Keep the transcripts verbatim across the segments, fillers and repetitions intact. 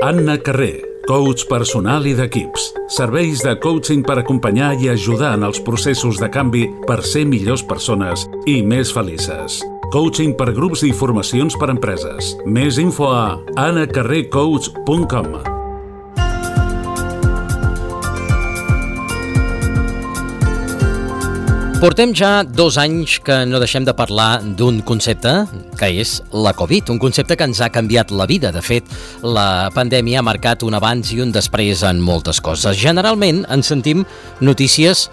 Anna Carré, coach personal i d'equips. Serveis de coaching per acompanyar i ajudar en els processos de canvi per ser millors persones i més felices. Coaching per grups i formacions per empreses. Més info a anna carré coach punt com. Portem ja dos anys que no deixem de parlar d'un concepte que és la Covid, un concepte que ens ha canviat la vida. De fet, la pandèmia ha marcat un abans i un després en moltes coses. Generalment ens sentim notícies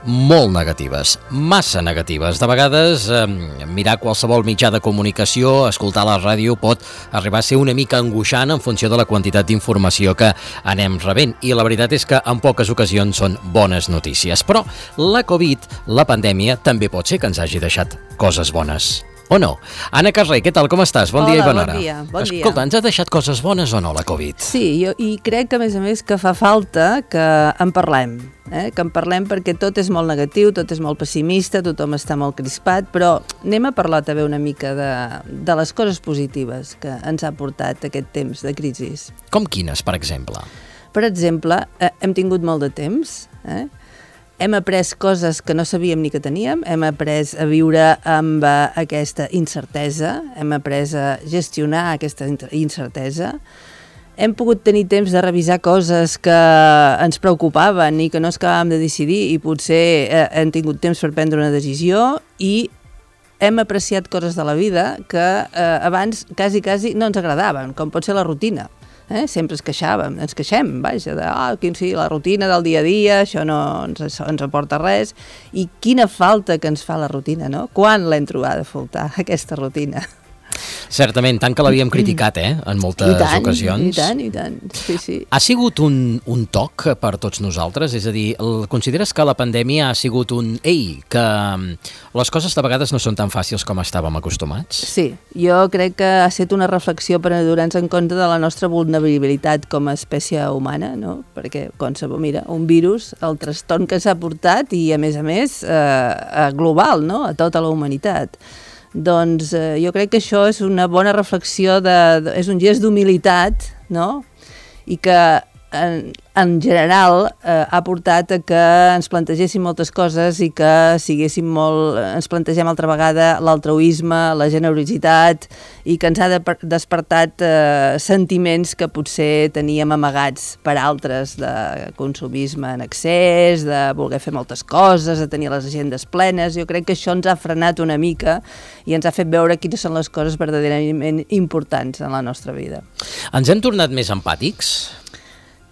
molt negatives, massa negatives. De vegades, eh, mirar qualsevol mitjà de comunicació, escoltar la ràdio, pot arribar a ser una mica angoixant en funció de la quantitat d'informació que anem rebent. I la veritat és que en poques ocasions són bones notícies. Però la Covid, la pandèmia, també pot ser que ens hagi deixat coses bones. O no? Anna Carré, què tal, com estàs? Bon Hola, dia i bona hora. Bon dia, bon dia. Escolta, ens ha deixat coses bones o no, la Covid? Sí, jo, i crec que, a més a més, que fa falta que en parlem. Eh? Que en parlem perquè tot és molt negatiu, tot és molt pessimista, tothom està molt crispat, però anem a parlar també una mica de, de les coses positives que ens ha portat aquest temps de crisi. Com quines, per exemple? Per exemple, eh, hem tingut molt de temps, eh? Hem après coses que no sabíem ni que teníem, hem après a viure amb uh, aquesta incertesa, hem après a gestionar aquesta incertesa, hem pogut tenir temps de revisar coses que ens preocupaven i que no ens acabàvem de decidir i potser eh, hem tingut temps per prendre una decisió i hem apreciat coses de la vida que eh, abans quasi, quasi no ens agradaven, com pot ser la rutina. Eh? Sempre es queixàvem, ens queixem, vaja, de oh, quin, sí, la rutina del dia a dia, això no ens, ens aporta res, i quina falta que ens fa la rutina, no? Quan l'hem trobat a faltar, aquesta rutina? Certament, tant que l'havíem criticat, eh, en moltes I tant, ocasions. I tant, i tant, sí, sí. Ha sigut un, un toc per tots nosaltres? És a dir, el, consideres que la pandèmia ha sigut un ei, que les coses de vegades no són tan fàcils com estàvem acostumats? Sí, jo crec que ha estat una reflexió per adonar-nos en compte de la nostra vulnerabilitat com a espècie humana, no? Perquè, qualsevol, mira, un virus, el trastorn que s'ha portat i, a més a més, eh, global, no? A tota la humanitat. Doncs eh, jo crec que això és una bona reflexió, de, de, és un gest d'humilitat, no? I que en, en general eh, ha portat a que ens plantegéssim moltes coses i que siguéssim molt, ens plantegem altra vegada l'altruisme, la generositat i que ens ha de, despertat eh, sentiments que potser teníem amagats per altres, de consumisme en excés, de voler fer moltes coses, de tenir les agendes plenes. Jo crec que això ens ha frenat una mica i ens ha fet veure quines són les coses verdaderament importants en la nostra vida. Ens hem tornat més empàtics?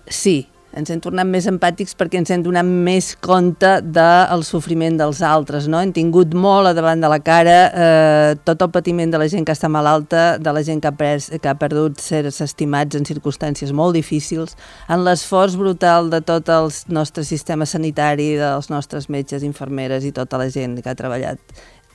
Sí, ens hem tornat més empàtics perquè ens hem donat més compte del sofriment dels altres, no? Hem tingut molt a davant de la cara eh, tot el patiment de la gent que està malalta, de la gent que ha, pres, que ha perdut sers estimats en circumstàncies molt difícils, en l'esforç brutal de tot el nostre sistema sanitari, dels nostres metges, infermeres i tota la gent que ha treballat,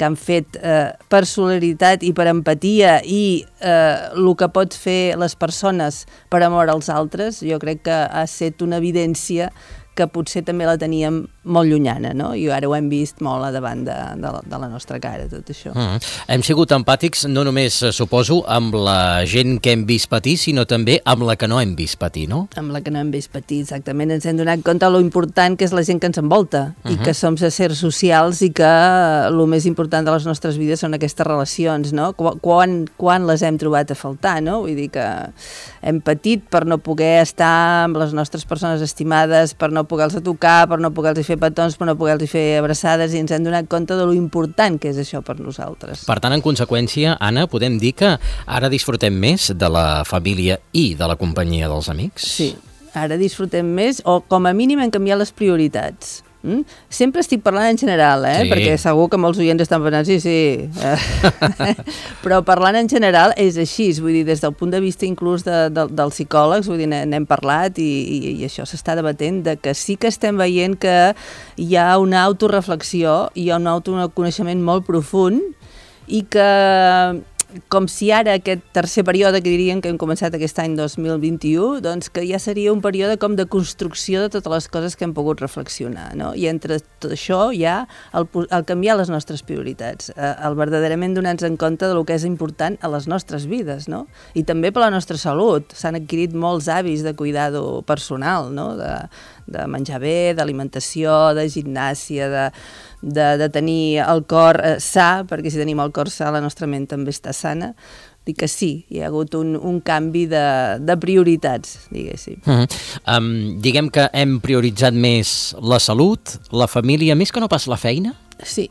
que han fet eh, per solidaritat i per empatia i eh, el que pot fer les persones per amor als altres, jo crec que ha estat una evidència que potser també la teníem molt llunyana, no? I ara ho hem vist molt a davant de, de, la, de la nostra cara, tot això. Mm. Hem sigut empàtics no només, suposo, amb la gent que hem vist patir, sinó també amb la que no hem vist patir, no? Amb la que no hem vist patir, exactament. Ens hem donat compte de lo important que és la gent que ens envolta uh -huh. i que som éssers socials i que el més important de les nostres vides són aquestes relacions, no? Quan, quan les hem trobat a faltar, no? Vull dir que hem patit per no poder estar amb les nostres persones estimades, per no poder-los tocar, per no poder-los fer petons, per no poder-los fer abraçades, i ens hem donat compte de lo important que és això per nosaltres. Per tant, en conseqüència, Anna, podem dir que ara disfrutem més de la família i de la companyia dels amics? Sí, ara disfrutem més, o com a mínim hem canviat les prioritats. Mm? Sempre estic parlant en general, eh? Sí. Perquè segur que molts oients estan pensant, sí, sí, però parlant en general és així, vull dir, des del punt de vista inclús de, de, dels psicòlegs, vull dir, n'hem parlat i, i, i això s'està debatent, de que sí que estem veient que hi ha una autoreflexió, hi ha un autoconeixement molt profund i que com si ara aquest tercer període que diríem que hem començat aquest any dos mil vint-i-u, doncs que ja seria un període com de construcció de totes les coses que hem pogut reflexionar, no? I entre tot això hi ha el, el canviar les nostres prioritats, el verdaderament donar-nos en compte de lo que és important a les nostres vides, no? I també per la nostra salut. S'han adquirit molts hàbits de cuidado personal, no? De, de menjar bé, d'alimentació, de gimnàsia, de, de, de tenir el cor eh, sa, perquè si tenim el cor sa la nostra ment també està sana. Dic que sí, hi ha hagut un, un canvi de, de prioritats, diguéssim. Uh-huh. Um, diguem que hem prioritzat més la salut, la família, més que no pas la feina? Sí,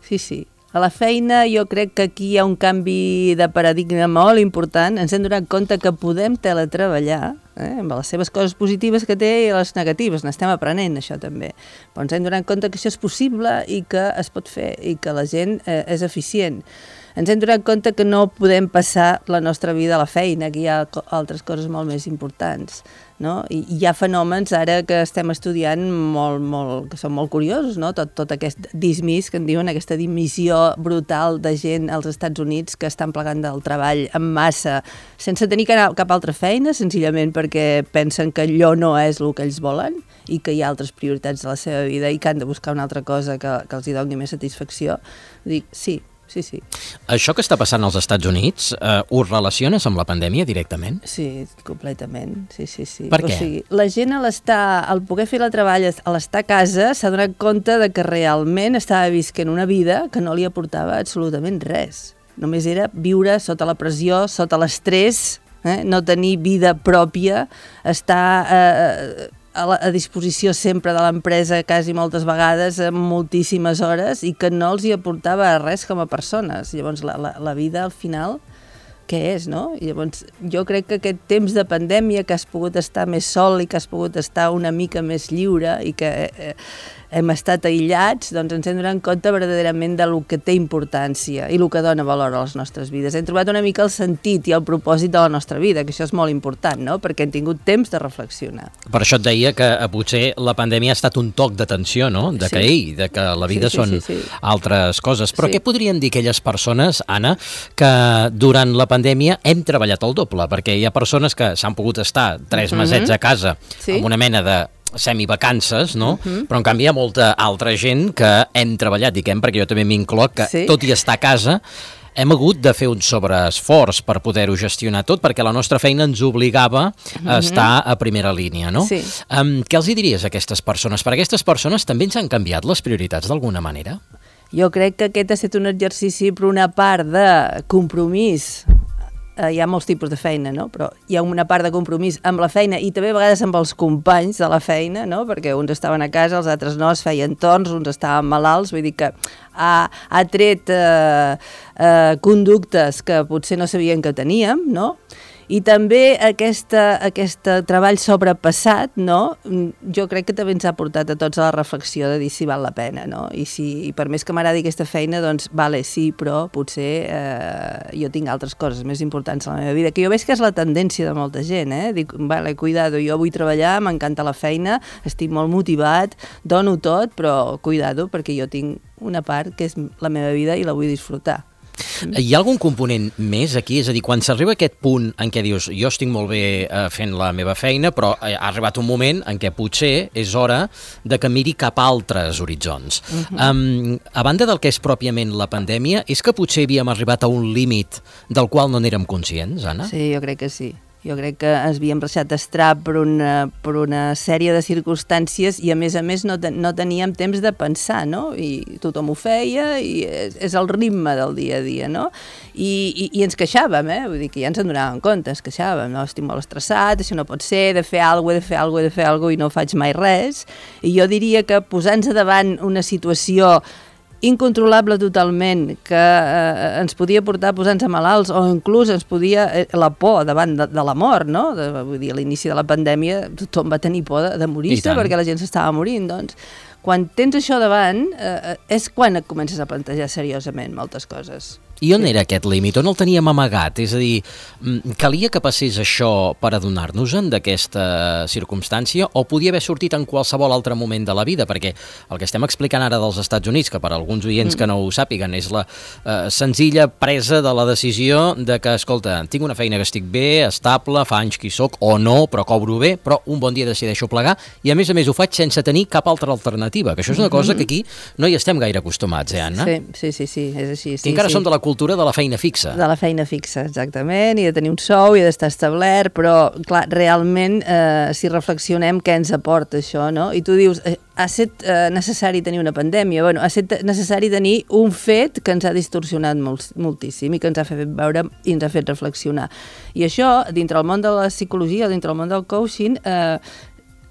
sí, sí. A la feina jo crec que aquí hi ha un canvi de paradigma molt important. Ens hem donat compte que podem teletreballar, eh, amb les seves coses positives que té i les negatives. N'estem aprenent, això també. Però ens hem donat compte que això és possible i que es pot fer i que la gent eh, és eficient. Ens hem donat compte que no podem passar la nostra vida a la feina, que hi ha altres coses molt més importants, no? I hi ha fenòmens ara que estem estudiant molt, molt, que són molt curiosos, no? Tot, tot aquest dismís que en diuen, aquesta dimissió brutal de gent als Estats Units que estan plegant del treball en massa sense tenir cap altra feina, senzillament perquè pensen que allò no és el que ells volen i que hi ha altres prioritats de la seva vida i que han de buscar una altra cosa que, que els hi doni més satisfacció. Dic, sí, sí, sí. Això que està passant als Estats Units, eh, ho relaciones amb la pandèmia directament? Sí, completament, sí, sí, sí. Per què? O sigui, la gent a l'estar, al poder fer el treball, a l'estar a casa, s'ha donat compte de que realment estava visquent una vida que no li aportava absolutament res. Només era viure sota la pressió, sota l'estrès, eh? No tenir vida pròpia, estar eh, a, la, a disposició sempre de l'empresa quasi moltes vegades, en moltíssimes hores, i que no els hi aportava res com a persones. Llavors la, la, la vida al final què és, no? I llavors jo crec que aquest temps de pandèmia que has pogut estar més sol i que has pogut estar una mica més lliure i que eh, hem estat aïllats, doncs ens hem donat compte verdaderament de lo que té importància i el que dona valor a les nostres vides. Hem trobat una mica el sentit i el propòsit de la nostra vida, que això és molt important, no? Perquè hem tingut temps de reflexionar. Per això et deia que eh, potser la pandèmia ha estat un toc d'atenció, no? De que, Sí. ei, de que la vida Sí, sí, són sí, sí. altres coses. Però Sí. què podrien dir aquelles persones, Anna, que durant la pandèmia hem treballat el doble? Perquè hi ha persones que s'han pogut estar tres Mhm. mesets a casa Sí. amb una mena de semivacances, no? Mhm. Però en canvi hi ha molta altra gent que hem treballat, diguem, perquè jo també m'incloc, que Sí. tot i estar a casa hem hagut de fer un sobreesforç per poder-ho gestionar tot, perquè la nostra feina ens obligava a estar a primera línia, no? Sí. Um, què els hi diries a aquestes persones? Per aquestes persones també ens han canviat les prioritats d'alguna manera? Jo crec que aquest ha estat un exercici per una part de compromís. Eh, hi ha molts tipus de feina, no? Però hi ha una part de compromís amb la feina i també a vegades amb els companys de la feina, no? Perquè uns estaven a casa, els altres no, es feien torns, uns estaven malalts, vull dir que ha, ha tret eh, eh, conductes que potser no sabien que teníem, no? I també aquesta, aquest treball sobrepassat, no? Jo crec que també ens ha portat a tots a la reflexió de dir si val la pena, no? I, si, i per més que m'agradi aquesta feina, doncs, vale, sí, però potser eh, jo tinc altres coses més importants a la meva vida, que jo veig que és la tendència de molta gent, eh? Dic, vale, cuidado, jo vull treballar, m'encanta la feina, estic molt motivat, dono tot, però cuidado, perquè jo tinc una part que és la meva vida i la vull disfrutar. Hi ha algun component més aquí? És a dir, quan s'arriba a aquest punt en què dius jo estic molt bé eh, fent la meva feina, però ha arribat un moment en què potser és hora de que miri cap a altres horitzons. Uh-huh. um, a banda del que és pròpiament la pandèmia, és que potser havíem arribat a un límit del qual no n'érem conscients, Anna? Sí, jo crec que sí. Jo crec que ens havíem deixat estar per una, per una sèrie de circumstàncies i a més a més no, ten, no teníem temps de pensar, no? I tothom ho feia i és, és el ritme del dia a dia, no? I, i, i ens queixàvem, eh? Vull dir que ja ens en donàvem compte, ens queixàvem, no? Estic molt estressat, això no pot ser, he de fer alguna cosa, he de fer alguna cosa, he de fer alguna cosa i no faig mai res. I jo diria que posant-se davant una situació incontrolable totalment, que eh, ens podia portar a posar-nos malalts o inclús ens podia, eh, la por davant de, de la mort, no? De, vull dir, a l'inici de la pandèmia tothom va tenir por de, de morir-se perquè la gent s'estava morint, doncs quan tens això davant eh, és quan et comences a plantejar seriosament moltes coses. I on sí. era aquest límit? On el teníem amagat? És a dir, calia que passés això per adonar-nos-en d'aquesta circumstància o podia haver sortit en qualsevol altre moment de la vida? Perquè el que estem explicant ara dels Estats Units, que per a alguns oients mm. que no ho sàpiguen, és la eh, senzilla presa de la decisió de que, escolta, tinc una feina que estic bé, estable, fa anys que hi soc, o no, però cobro bé, però un bon dia decideixo plegar i a més a més ho faig sense tenir cap altra alternativa, que això és una cosa que aquí no hi estem gaire acostumats, eh, Anna? Sí, sí, sí, sí és així. Sí, I encara sí. som de la cultura de la feina fixa. De la feina fixa, exactament, i de tenir un sou i d'estar establert, però, clar, realment, eh, si reflexionem què ens aporta això, no? I tu dius, eh, ha estat eh, necessari tenir una pandèmia, bueno, ha estat necessari tenir un fet que ens ha distorsionat molt, moltíssim i que ens ha fet veure i ens ha fet reflexionar. I això, dintre el món de la psicologia, dintre el món del coaching, eh,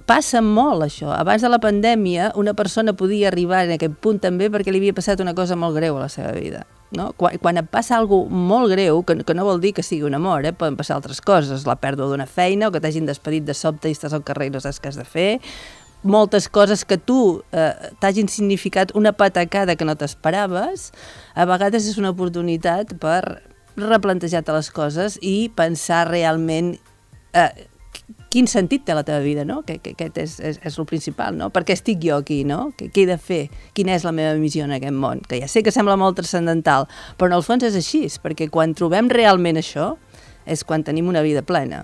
passa molt, això. Abans de la pandèmia, una persona podia arribar en aquest punt també perquè li havia passat una cosa molt greu a la seva vida. No? Quan, quan et passa alguna cosa molt greu, que, que no vol dir que sigui un amor, eh? Poden passar altres coses, la pèrdua d'una feina o que t'hagin despedit de sobte i estàs al carrer i no saps què has de fer, moltes coses que tu eh, t'hagin significat una patacada que no t'esperaves, a vegades és una oportunitat per replantejar-te les coses i pensar realment eh, quin sentit té la teva vida, no? Que, que aquest és, és, és el principal, no? Per què estic jo aquí, no? Què, què he de fer? Quina és la meva missió en aquest món? Que ja sé que sembla molt transcendental, però en el fons és així, perquè quan trobem realment això és quan tenim una vida plena.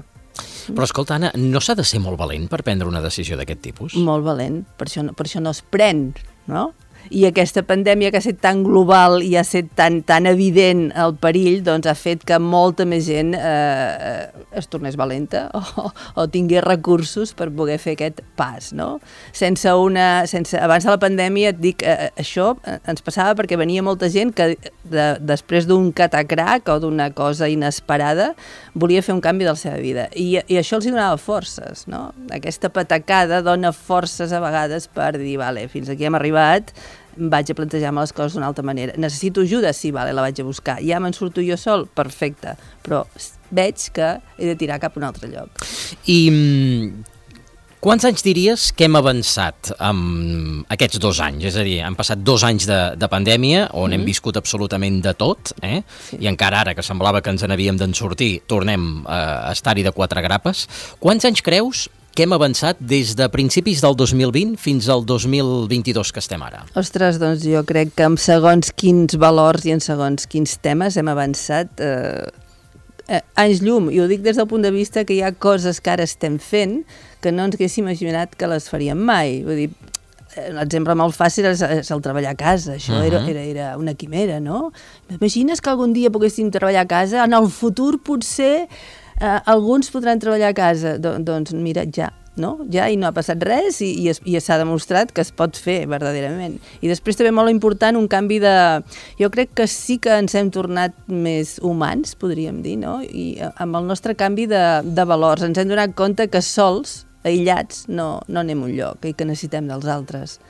Però escolta, Anna, no s'ha de ser molt valent per prendre una decisió d'aquest tipus? Molt valent, per això, per això no es pren, no? I aquesta pandèmia que ha estat tan global i ha estat tan, tan evident el perill, doncs ha fet que molta més gent eh, es tornés valenta o, o tingués recursos per poder fer aquest pas, no? Sense una, sense, abans de la pandèmia, et dic, eh, això ens passava perquè venia molta gent que de, després d'un catacrac o d'una cosa inesperada volia fer un canvi de la seva vida. I, i això els donava forces, no? Aquesta patacada dona forces a vegades per dir, vale, fins aquí hem arribat, vaig a plantejar-me les coses d'una altra manera. Necessito ajuda? Sí, vale, la vaig a buscar. Ja me'n surto jo sol? Perfecte. Però veig que he de tirar cap a un altre lloc. I quants anys diries que hem avançat amb aquests dos anys? És a dir, han passat dos anys de, de pandèmia on mm-hmm. hem viscut absolutament de tot, eh? Sí. I encara ara, que semblava que ens n'havíem d'en sortir, tornem a estar-hi de quatre grapes. Quants anys creus que hem avançat des de principis del dos mil vint fins al dos mil vint-i-dos que estem ara? Ostres, doncs jo crec que en segons quins valors i en segons quins temes hem avançat eh, eh, anys llum. I ho dic des del punt de vista que hi ha coses que ara estem fent que no ens haguéssim imaginat que les faríem mai. Vull dir, l'exemple molt fàcil és, és el treballar a casa. Això uh-huh. era, era, era una quimera, no? Imagines que algun dia poguéssim treballar a casa? En el futur potser Uh, alguns podran treballar a casa, Do doncs mira, ja, no? Ja, i no ha passat res i, i, es, i s'ha demostrat que es pot fer verdaderament. I després també molt important un canvi de... Jo crec que sí que ens hem tornat més humans, podríem dir, no? I amb el nostre canvi de, de valors ens hem donat compte que sols, aïllats, no, no anem a un lloc i que necessitem dels altres.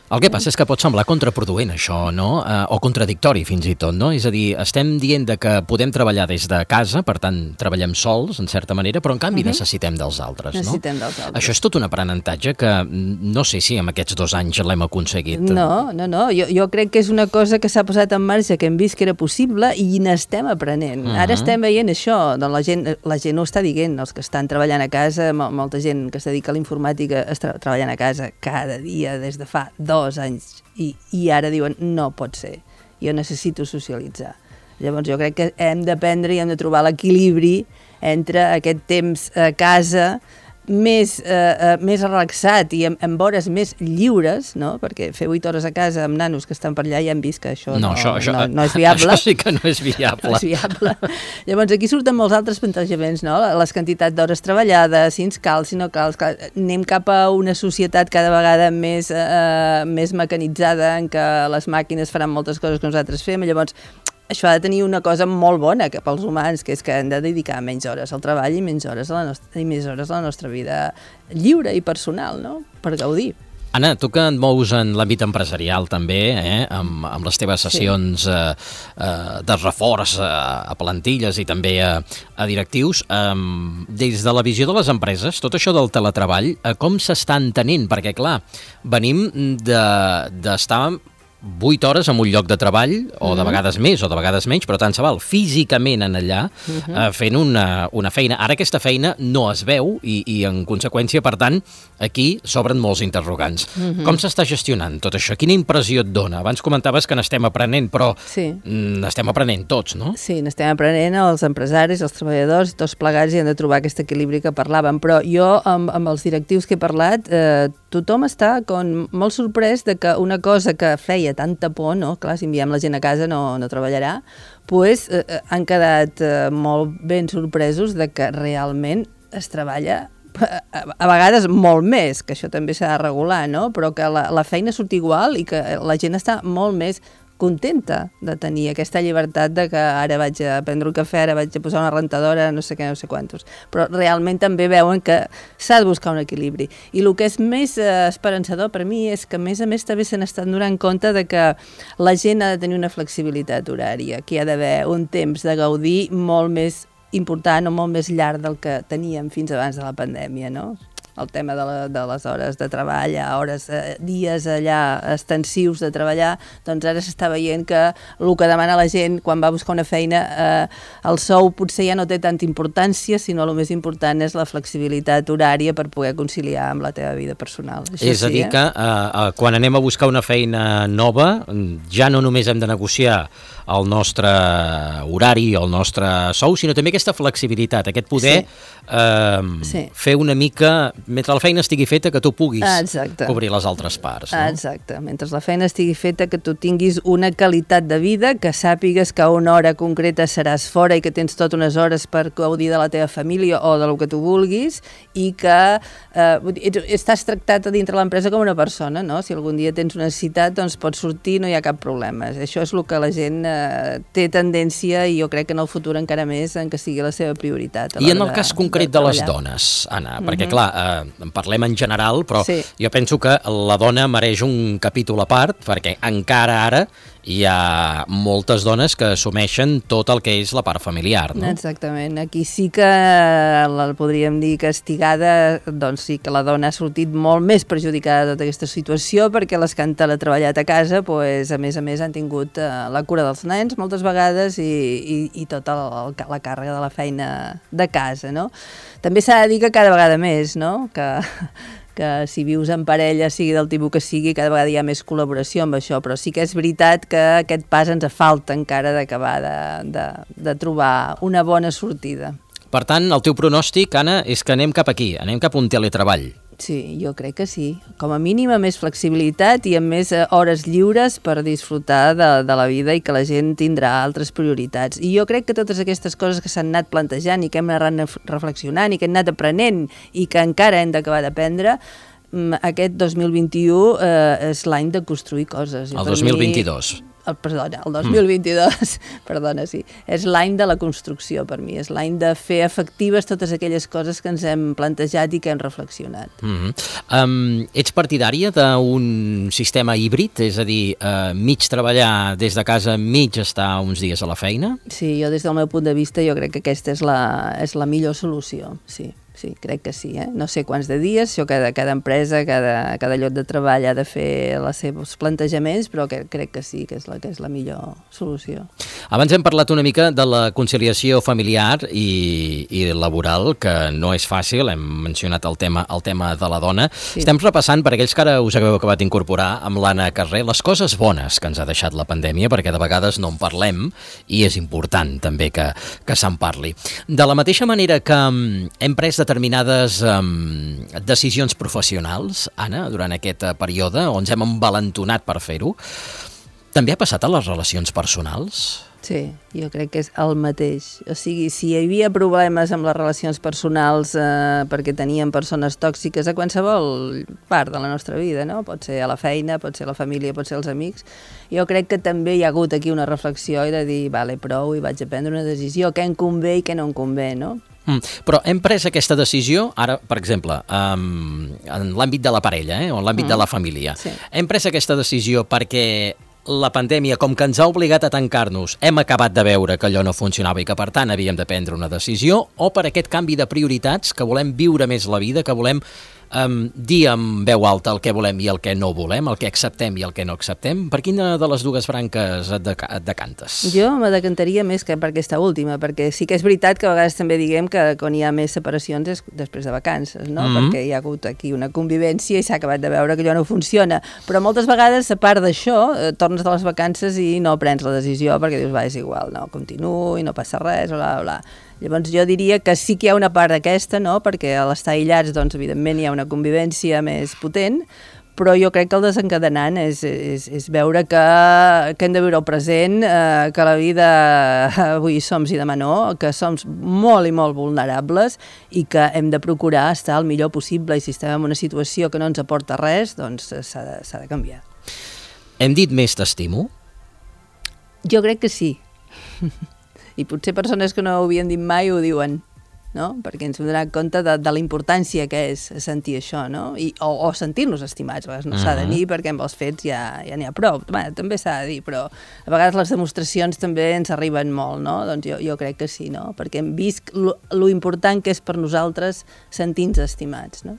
El que passa és que pot semblar contraproduent això, no? Eh, o contradictori fins i tot, no? És a dir, estem dient de que podem treballar des de casa, per tant, treballem sols, en certa manera, però en canvi uh-huh. necessitem dels altres, no? Necessitem dels altres. Això és tot un aprenentatge que no sé si en aquests dos anys l'hem aconseguit. No, no, no. Jo, jo crec que és una cosa que s'ha posat en marxa, que hem vist que era possible i n'estem aprenent. Uh-huh. Ara estem veient això, doncs la gent, la gent ho està dient, els que estan treballant a casa, molta gent que es dedica a la informàtica està treballant a casa cada dia des de fa dos dos anys i, i ara diuen no pot ser, jo necessito socialitzar. Llavors jo crec que hem d'aprendre i hem de trobar l'equilibri entre aquest temps a casa més, eh, eh, més relaxat i amb, amb hores més lliures, no? Perquè fer vuit hores a casa amb nanos que estan per allà ja hem vist que això no, no, això, això, no, no és viable. Això sí que no és viable. No és viable. Llavors aquí surten molts altres plantejaments, no? Les quantitats d'hores treballades, si ens cal, si no cal. Clar, anem cap a una societat cada vegada més, eh, més mecanitzada en què les màquines faran moltes coses que nosaltres fem, llavors això ha de tenir una cosa molt bona que pels humans, que és que hem de dedicar menys hores al treball i menys hores a la nostra, i més hores a la nostra vida lliure i personal, no? Per gaudir. Anna, tu que et mous en l'àmbit empresarial també, eh? amb, amb les teves sessions sí. eh, eh, de reforç a, a plantilles i també a, a directius, eh, des de la visió de les empreses, tot això del teletreball, eh, com s'està entenent? Perquè, clar, venim de, d'estar vuit hores en un lloc de treball, o de vegades més o de vegades menys, però tant se val, físicament en allà, uh-huh. eh, fent una, una feina. Ara aquesta feina no es veu i, i en conseqüència, per tant, aquí s'obren molts interrogants. Uh-huh. Com s'està gestionant tot això? Quina impressió et dona? Abans comentaves que n'estem aprenent, però sí. n'estem aprenent tots, no? Sí, n'estem aprenent els empresaris, els treballadors, i tots plegats i han de trobar aquest equilibri que parlàvem, però jo amb, amb els directius que he parlat, eh, tothom està com molt sorprès de que una cosa que feia tanta por, no? Clar, si enviem la gent a casa no, no treballarà, pues, eh, han quedat eh, molt ben sorpresos de que realment es treballa a, a vegades molt més, que això també s'ha de regular, no? Però que la, la feina surt igual i que la gent està molt més contenta de tenir aquesta llibertat de que ara vaig a prendre un cafè, ara vaig a posar una rentadora, no sé què, no sé quantos. Però realment també veuen que s'ha de buscar un equilibri. I el que és més eh, esperançador per mi és que, a més a més, també se n'estan donant compte de que la gent ha de tenir una flexibilitat horària, que hi ha d'haver un temps de gaudir molt més important o molt més llarg del que teníem fins abans de la pandèmia, no? El tema de, la, de les hores de treball, hores, eh, dies allà extensius de treballar, doncs ara s'està veient que el que demana la gent quan va a buscar una feina, eh, el sou potser ja no té tanta importància, sinó el més important és la flexibilitat horària per poder conciliar amb la teva vida personal. Això és a dir, sí, eh? que eh, quan anem a buscar una feina nova, ja no només hem de negociar el nostre horari o el nostre sou, sinó també aquesta flexibilitat, aquest poder sí. Eh, sí. fer una mica, mentre la feina estigui feta, que tu puguis Exacte. cobrir les altres parts. No? Exacte, mentre la feina estigui feta, que tu tinguis una qualitat de vida, que sàpigues que a una hora concreta seràs fora i que tens tot unes hores per gaudir de la teva família o del que tu vulguis, i que eh, estàs tractat a dintre l'empresa com una persona, no? Si algun dia tens una necessitat, doncs pots sortir, no hi ha cap problema. Això és el que la gent eh, té tendència, i jo crec que en el futur encara més, en que sigui la seva prioritat. I en el cas concret de, de les dones, Anna, perquè mm-hmm. clar, eh, en parlem en general, però sí. jo penso que la dona mereix un capítol a part, perquè encara ara hi ha moltes dones que assumeixen tot el que és la part familiar, no? Exactament. Aquí sí que la podríem dir castigada, doncs sí que la dona ha sortit molt més perjudicada de tota aquesta situació, perquè les que han teletreballat a casa, pues, a més a més han tingut eh, la cura dels nens moltes vegades i, i, i tota el, la càrrega de la feina de casa, no? També s'ha de dir que cada vegada més, no? Que que si vius en parella, sigui del tipus que sigui, cada vegada hi ha més col·laboració amb això, però sí que és veritat que aquest pas ens falta encara d'acabar de, de, de trobar una bona sortida. Per tant, el teu pronòstic, Anna, és que anem cap aquí, anem cap a un teletreball. Sí, jo crec que sí. Com a mínim amb més flexibilitat i amb més hores lliures per disfrutar de, de la vida, i que la gent tindrà altres prioritats. I jo crec que totes aquestes coses que s'han anat plantejant i que hem anat reflexionant i que hem anat aprenent i que encara hem d'acabar d'aprendre, aquest dos mil vint-i-u eh, és l'any de construir coses. El dos mil vint-i-dos. El, perdona, el dos mil vint-i-dos, mm. perdona, sí, és l'any de la construcció per mi, és l'any de fer efectives totes aquelles coses que ens hem plantejat i que hem reflexionat. Mm-hmm. um, ets partidària d'un sistema híbrid, és a dir, uh, mig treballar des de casa, mig estar uns dies a la feina? Sí, jo des del meu punt de vista jo crec que aquesta és la, és la millor solució, sí. Sí, crec que sí, eh? No sé quants de dies, això cada, cada empresa, cada, cada lloc de treball ha de fer els seus plantejaments, però que, crec que sí, que és, la, que és la millor solució. Abans hem parlat una mica de la conciliació familiar i, i laboral, que no és fàcil, hem mencionat el tema, el tema de la dona. Sí. Estem repassant, per aquells que ara us hagueu acabat d'incorporar amb l'Anna Carrer, les coses bones que ens ha deixat la pandèmia, perquè de vegades no en parlem i és important també que, que se'n parli. De la mateixa manera que hem pres determinades um, decisions professionals, Anna, durant aquest uh, període, on ens hem envalentonat per fer-ho, també ha passat a les relacions personals? Sí, jo crec que és el mateix. O sigui, si hi havia problemes amb les relacions personals eh, perquè teníem persones tòxiques a qualsevol part de la nostra vida, no? Pot ser a la feina, pot ser a la família, pot ser als amics, jo crec que també hi ha hagut aquí una reflexió i de dir, vale, prou, i vaig a prendre una decisió, què em convé i què no em convé, no? Mm, però hem pres aquesta decisió, ara, per exemple, um, en l'àmbit de la parella, eh, o en l'àmbit mm. de la família. Sí. Hem pres aquesta decisió perquè la pandèmia, com que ens ha obligat a tancar-nos, hem acabat de veure que allò no funcionava i que, per tant, havíem de prendre una decisió, o per aquest canvi de prioritats, que volem viure més la vida, que volem um, dir en veu alta el que volem i el que no volem, el que acceptem i el que no acceptem. Per quina de les dues branques et, deca et decantes? Jo me decantaria més que per aquesta última, perquè sí que és veritat que a vegades també diguem que quan hi ha més separacions és després de vacances, no? Mm-hmm. Perquè hi ha hagut aquí una convivència i s'ha acabat de veure que allò no funciona. Però moltes vegades, a part d'això, eh, tornes de les vacances i no prens la decisió perquè dius, va, és igual, no, continuo i no passa res, bla, bla. Llavors jo diria que sí que hi ha una part d'aquesta, no? Perquè a l'estar aïllats, doncs, evidentment, hi ha una convivència més potent, però jo crec que el desencadenant és, és, és veure que, que hem de viure el present, eh, que la vida avui som i demà no, que som molt i molt vulnerables i que hem de procurar estar el millor possible i si estem en una situació que no ens aporta res, doncs s'ha de, s'ha de canviar. Hem dit més t'estimo? Jo crec que sí. I potser persones que no ho havien dit mai ho diuen, no? Perquè ens hem donat compte de, de la importància que és sentir això, no? I, o, o sentir-nos estimats, a vegades no s'ha de dir perquè amb els fets ja ja n'hi ha prou. Bé, també s'ha de dir, però a vegades les demostracions també ens arriben molt, no? Doncs jo, jo crec que sí, no? Perquè hem vist lo, lo important que és per nosaltres sentir-nos estimats, no?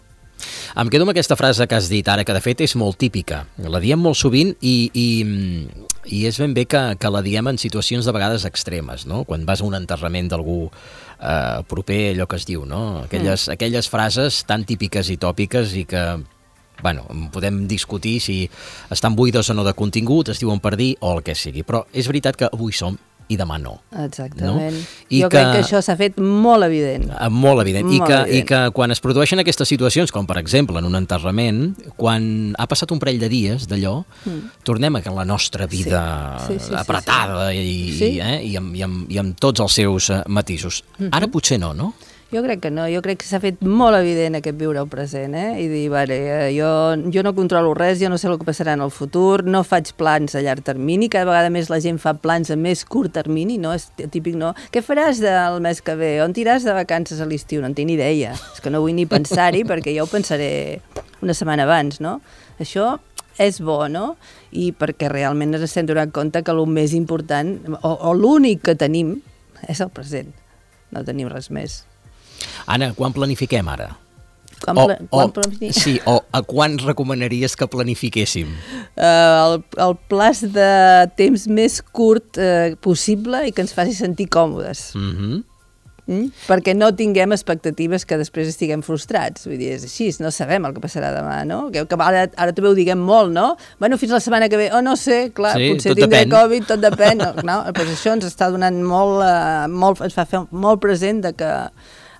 Em quedo amb aquesta frase que has dit ara, que de fet és molt típica. La diem molt sovint i, i, i és ben bé que, que la diem en situacions de vegades extremes, no? Quan vas a un enterrament d'algú eh, proper, allò que es diu, no? Aquelles, mm. aquelles frases tan típiques i tòpiques i que, bueno, podem discutir si estan buides o no de contingut, es diuen per dir o el que sigui, però és veritat que avui som i demà no. Exactament. No? I jo que, crec que això s'ha fet molt evident. Molt evident. Molt I, que, evident. I que quan es produeixen aquestes situacions, com per exemple en un enterrament, quan ha passat un parell de dies d'allò, mm. tornem a la nostra vida sí. Sí, sí, apretada sí, sí. I, sí. Eh? I, amb, i, amb, i amb tots els seus matisos. Mm-hmm. Ara potser no, no? Jo crec que no, jo crec que s'ha fet molt evident aquest viure el present, eh? I dir, vale, jo, jo no controlo res, jo no sé el que passarà en el futur, no faig plans a llarg termini, cada vegada més la gent fa plans a més curt termini, no? És típic, no? Què faràs del mes que ve? On tiràs de vacances a l'estiu? No en tinc ni idea. És que no vull ni pensar-hi perquè jo ho pensaré una setmana abans, no? Això és bo, no? I perquè realment ens estem donant compte que el més important, o, o l'únic que tenim, és el present. No tenim res més. Anna, quan planifiquem ara? Quan, o, pla quan o, planifiquem? Sí, o a quan recomanaries que planifiquéssim? Uh, el, el plaç de temps més curt uh, possible i que ens faci sentir còmodes. Mhm. Mm? Perquè no tinguem expectatives que després estiguem frustrats. Vull dir, és així, no sabem el que passarà demà, no? Que, que ara, ara també ho diguem molt, no? Bueno, fins la setmana que ve, oh, no sé, clar, sí, potser tindré depèn. Covid, tot depèn. No, no? Pues això ens està donant molt, uh, molt, ens fa fer molt present de que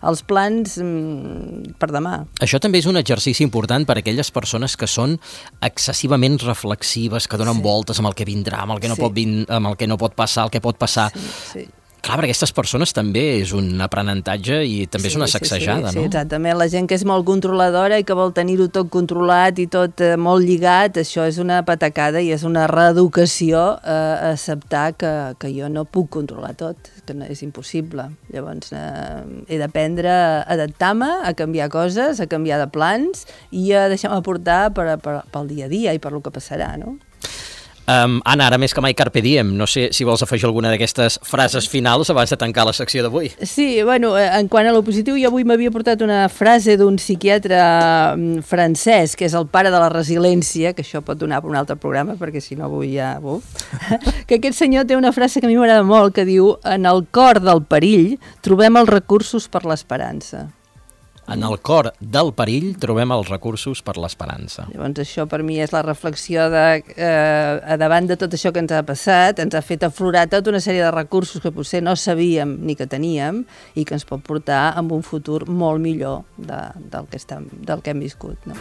els plans mm, per demà. Això també és un exercici important per a aquelles persones que són excessivament reflexives, que donen sí. voltes amb el que vindrà, amb el que no, sí. pot, vin amb el que no pot passar, el que pot passar. Sí, sí. Clar, per aquestes persones també és un aprenentatge i també sí, és una sacsejada, sí, sí, no? Sí, exactament. La gent que és molt controladora i que vol tenir-ho tot controlat i tot eh, molt lligat, això és una patacada i és una reeducació a eh, acceptar que, que jo no puc controlar tot, que no és impossible. Llavors eh, he d'aprendre a adaptar-me, a canviar coses, a canviar de plans i a deixar-me portar per, per, pel dia a dia i per lo que passarà, no? Um, Anna, ara més que mai carpe diem. No sé si vols afegir alguna d'aquestes frases finals abans de tancar la secció d'avui. Sí, bueno, en quant a lo positiu, jo avui m'havia portat una frase d'un psiquiatre francès, que és el pare de la resiliència, que això pot donar per un altre programa, perquè si no avui ja... Uf, que aquest senyor té una frase que a mi m'agrada molt, que diu: en el cor del perill trobem els recursos per l'esperança. En el cor del perill trobem els recursos per l'esperança. Llavors això per mi és la reflexió de, eh, davant de tot això que ens ha passat, ens ha fet aflorar tota una sèrie de recursos que potser no sabíem ni que teníem i que ens pot portar a un futur molt millor de, del, que estem, del que hem viscut, no?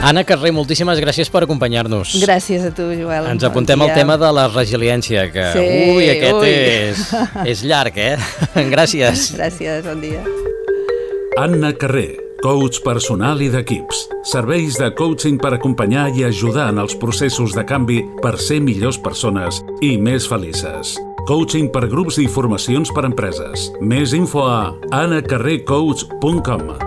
Anna Carré, moltíssimes gràcies per acompanyar-nos. Gràcies a tu, Joel. Ens apuntem al tema de la resiliència, que sí, ui, aquest ui. És, és llarg, eh? Gràcies. Gràcies, bon dia. Anna Carré, coach personal i d'equips. Serveis de coaching per acompanyar i ajudar en els processos de canvi per ser millors persones i més felices. Coaching per grups i formacions per empreses. Més info a anna carré coach punt com.